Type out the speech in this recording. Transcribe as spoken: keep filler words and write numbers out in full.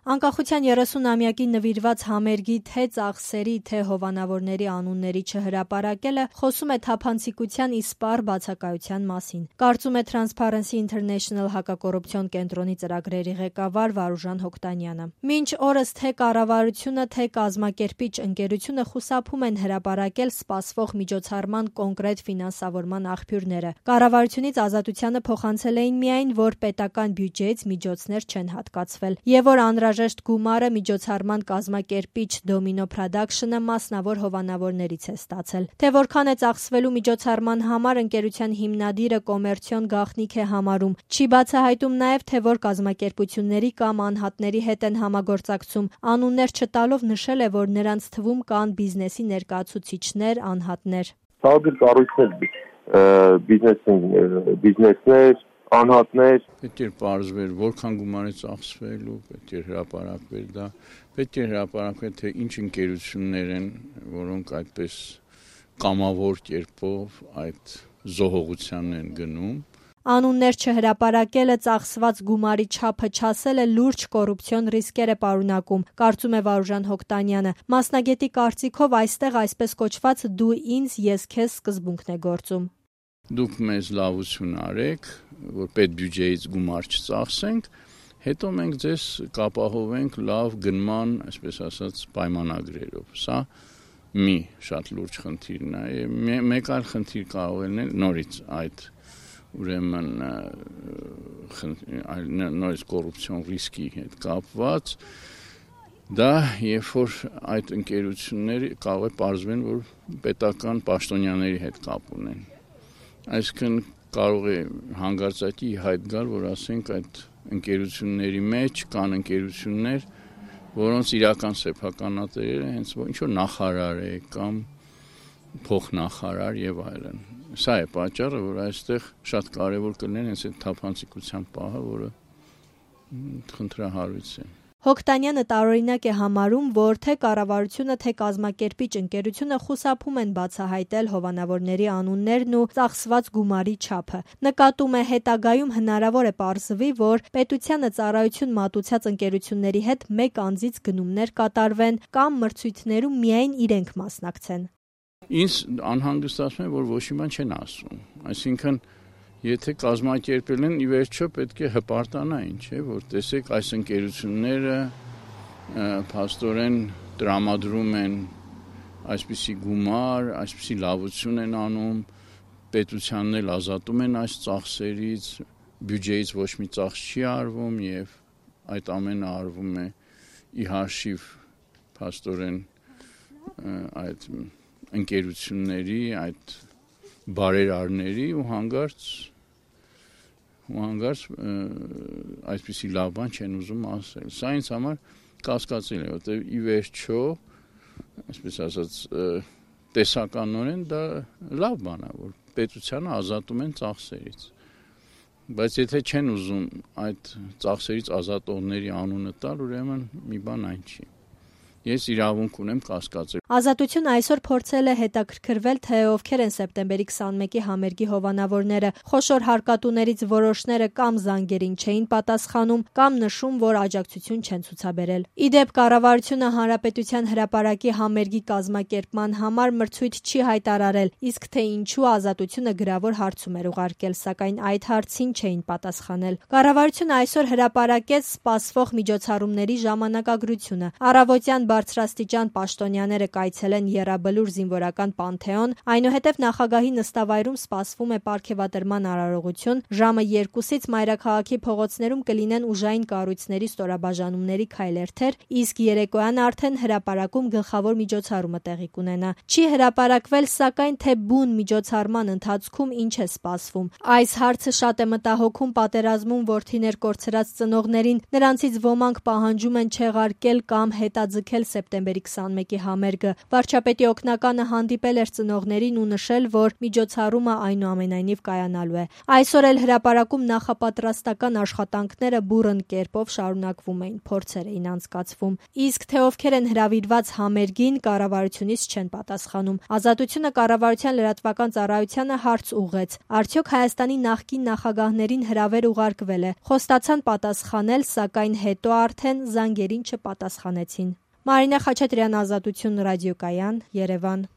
Անկախության երեսունամյակի նվիրված համերգի թե ծախսերի, թե հովանավորների անունների չհրապարակելը խոսում է թափանցիկության իսպառ բացակայության մասին, կարծում է Transparency International հակակոռուպցիոն կենտրոնի ծրագրերի ղեկավար Վարուժան Հոկտանյանը։ Մինչ օրս թե կառավարությունը, թե կազմակերպիչ ընկերությունը խուսափում են հրապարակել սպասվող միջոցառման կոնկրետ ֆինանսավորման աղբյուրները։ Կառավարությունից Ազատությանը փոխանցել էին միայն, որ պետական բյուջեից միջոցներ չեն հատկացվել եւ որ անհրաժեշտ գումարը միջոցառման կազմակերպիչ Domino Production-ը մասնավոր հովանավորներից է ստացել։ Թե որքան է ծախսվելու միջոցառման համար ընկերության հիմնադիրը կոմերցիոն գաղտնիք է համարում, չի բացահայտում նաև, թե որ կազմակերպությունների կամ անհատների հետ են համագործակցում, անուններ չտալով նշել է, որ նրանց թվում կան բիզնեսի ներկայացուցիչներ, անհատներ։ Ցավոք կառույցներ, բիզնեսներ, անհատներ պետք է պարզվեր որքան գումար է ծախսվելու, պետք է հրապարակվեր դա, պետք է հրապարակվեր թե ինչ ընկերություններ են, որոնք այդպես կամավոր կերպով այդ զոհողությանն են գնում։ Անուններ չհրապարակելը ծախսված գումարի չափը չասելը լուրջ կոռուպցիոն ռիսկեր է պարունակում, կարծում է Վարուժան Հոկտանյանը։ Մասնագետի կարծիքով այստեղ այսպես կոչված դու ինձ, ես քեզ սկզբունքն է գործում։ Դուք մեզ լավություն արեք, որ պետբյուջեից գումար չծախսենք, հետո մենք ձեզ կապահովենք լավ գնման, այսպես ասած, պայմանագրերով։ Սա մի շատ լուրջ խնդիրն է։ Մեկ այլ խնդիր կարող է լինել նորից այդ ուրեմն նորից կոռուպցիոն ռիսկի հետ կապված։ Դա երբ որ այդ ընկերությունները կարող է պարզվեն, որ պետական պաշտոնյաների հետ կապ ունեն։ Այսինքն կարող է հանգարցակի հայտ գալ, որ ասենք այդ ընկերությունների մեջ կան ընկերություններ, որոնց իրական սեփականատերերը հենց ինչ-որ նախարար է կամ փոխնախարար եւ այլն։ Սա է պատճառը, որ այստեղ շատ կարեւոր կլիներ հենց այդ թափանցիկության պահը, որը խնդրահարույց է։ Հոկտանյանը տարօրինակ է համարում, որ թե կառավարությունը, թե կազմակերպիչ ընկերությունը խուսափում են բացահայտել հովանավորների անուններն ու ծախսված գումարի չափը։ Նկատում է հետագայում հնարավոր է պարզվի, որ պետությանը ծառայություն մատուցած ընկերությունների հետ մեկ անձից գնումներ կատարվեն կամ մրցույթներում միայն իրենք մասնակցեն։ Ինձ անհանգստացնում է, որ ոչ մի բան չեն ասում։ Այսինքն եթե կազմակերպել են, ի վերջո պետք է հպարտանային, չէ՞, որ տեսեք այս ընկերությունները փաստորեն տրամադրում են այսպիսի գումար, այսպիսի լավություն են անում, պետությանն էլ ազատում են այս ծախսերից, բյուջեից ոչ մի ծախս չի արվում եւ այդ ամենը արվում է ի հաշիվ փաստորեն այդ ընկերությունների, այդ բարերարների ու հանգարց ու հանգարց այսպիսի լավ բան չեն ուզում ասել։ Սա ինձ համար կասկածել է, որտեղ ի վերջո, այսպես ասած, տեսականորեն դա լավ բան է, որ պետությանը ազատում են ծախսերից։ Բայց եթե չեն ուզում այդ ծախսերից ազատողների անունը տալ, ուրեմն մի բան այն չի։ Ես իրավունք ունեմ կասկածել։ Ազատությունը այսօր փորձել է հետաքրքրվել, թե ովքեր են սեպտեմբերի քսանմեկի համերգի հովանավորները։ Խոշոր հարկատուներից որոշները կամ զանգերին չէին պատասխանում, կամ նշում, որ աջակցություն չեն ցուցաբերել։ Ի դեպ, կառավարությունը հանրապետության հրապարակի համերգի կազմակերպման համար մրցույթ չի հայտարարել, իսկ թե ինչու Ազատությունը գրավոր հարցում էր ուղարկել, սակայն այդ հարցին չէին պատասխանել։ Կառավարությունը այսօր հրապարակեց սպասվող միջոցառումների ժամանակագրությունը։ Առավոտյան բարձրաստիճան պաշտոնյաները կայցելեն Եռաբլուր զինվորական պանթեոն, այնուհետև նախագահի նստավայրում սպասվում է պարգևատրման արարողություն, ժամը երկուսից մայրաքաղաքի փողոցներում կլինեն ուժային կառույցների ստորաբաժանումների քայլերթեր, իսկ երեկոյան արդեն հրապարակում գլխավոր միջոցառումը տեղի կունենա։ Չի հրապարակվել, սակայն թե բուն միջոցառման ընթացքում ինչ է սպասվում։ Այս հարցը շատ է մտահոգում պատերազմում որդիներ կորցրած ծնողներին, նրանցից ոմանք պահանջում են չեղարկել կամ հետաձգել սեպտեմբերի քսանմեկի համերգը։ Վարչապետի օգնականը հանդիպել էր ծնողներին ու նշել, որ միջոցառումը այնուամենայնիվ կայանալու է։ Այսօր էլ հրապարակում նախապատրաստական աշխատանքները բուռն կերպով շարունակվում էին, փորձեր էին անցկացվում։ Իսկ թե ովքեր են հրավիրված համերգին, կառավարությունից չեն պատասխանում։ Ազատությունը կառավարության լրատվական ծառայությանը հարց ուղղեց. արդյոք Հայաստանի նախկին նախագահներին հրավեր ուղարկվել է։ Խոստացան պատասխանել, սակայն հետո արդեն զանգերին չպատասխանեցին։ Մարինե Խաչատրյան, Ազատություն ռադիոկայան, Երևան։